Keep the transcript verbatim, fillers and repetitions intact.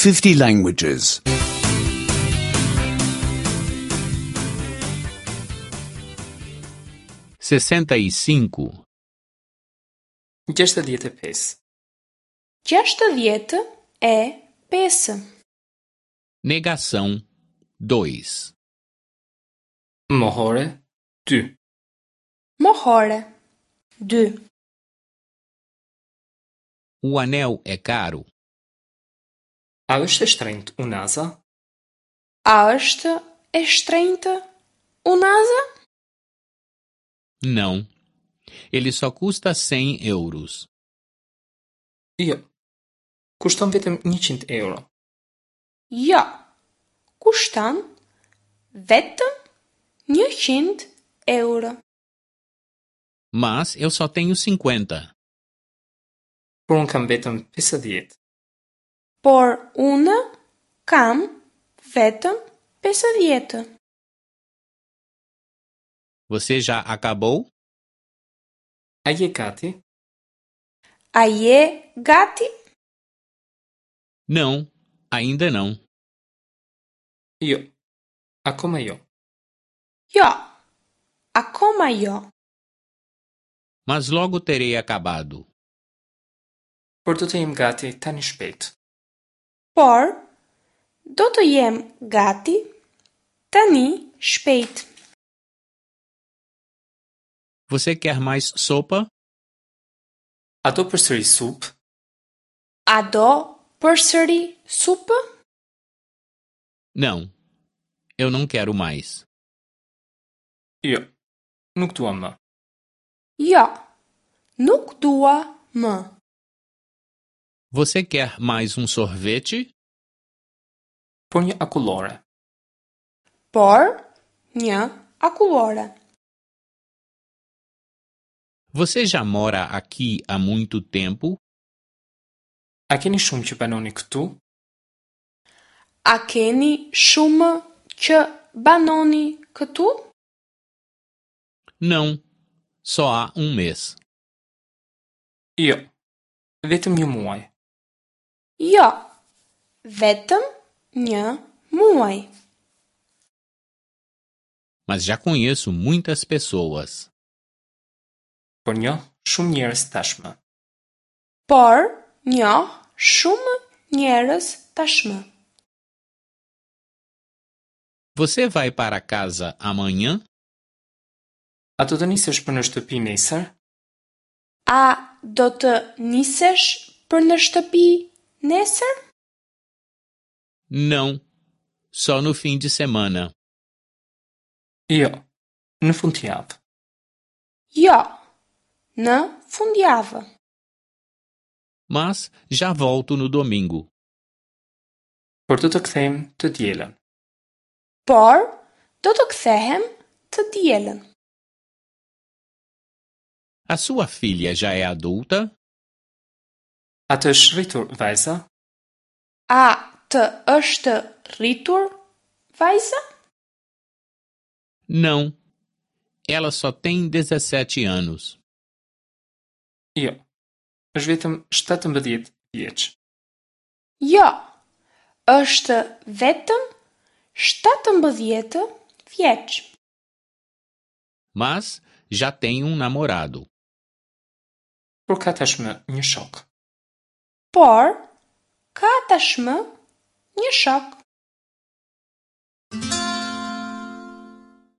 fifty languages. sessenta e cinco, gjashtëdhjetë e pesë. Gjashtëdhjetë e pesë. Negação dois. Mohore dy. Mohore dy. O anel é caro? A është e shtrenjtë unaza? A është e shtrenjtë unaza? Não. Ele só custa cem euros. Jo. Kushton vetëm njëqind euro. Jo. Kushton vetëm njëqind euro. Mas eu só tenho cinquenta. Por unë kam vetëm pesëdhjetë. Por unë kam vetëm pesëdhjetë. Você já acabou? A je gati? A je gati? Não, ainda não. Jo. Akoma jo. Jo. Akoma jo. Mas logo terei acabado. Por do të jem gati tani shpejt. Por do të jem gati tani shpejt. Você quer mais sopa? A do përsëri supë? A do përsëri supë? Não, eu não quero mais. Jo, nuk dua më. Jo, nuk dua më. Você quer mais um sorvete? Por një akullore. Por një akullore. Você já mora aqui há muito tempo? A keni shumë që banoni këtu? A keni shumë që banoni këtu? Não, só há um mês. Jo, vetëm një muaj. Jo, vetëm një muaj. Mas já conheço muitas pessoas. Por njoh shumë njerëz tashmë. Por njoh shumë njerëz tashmë. Você vai para casa amanhã? A do të nisesh për në shtëpi nesër? A do të nisesh për në shtëpi nesër? Não, só no fim de semana. Jo, në fundjavë. Jo, në fundjavë. Mas já volto no domingo. Por do të kthehem të dielën. Por do të kthehem të dielën. A sua filha já é adulta? A të është rritur vajza? A të është rritur vajza? Não. Ela só tem dezessete anos. Jo. Është vetëm shtatëmbëdhjetë vjeç. Jo. Është vetëm shtatëmbëdhjetë vjeç. Mas já tem um namorado. Por ka tashmë një shok. Por ka tashmë një shok.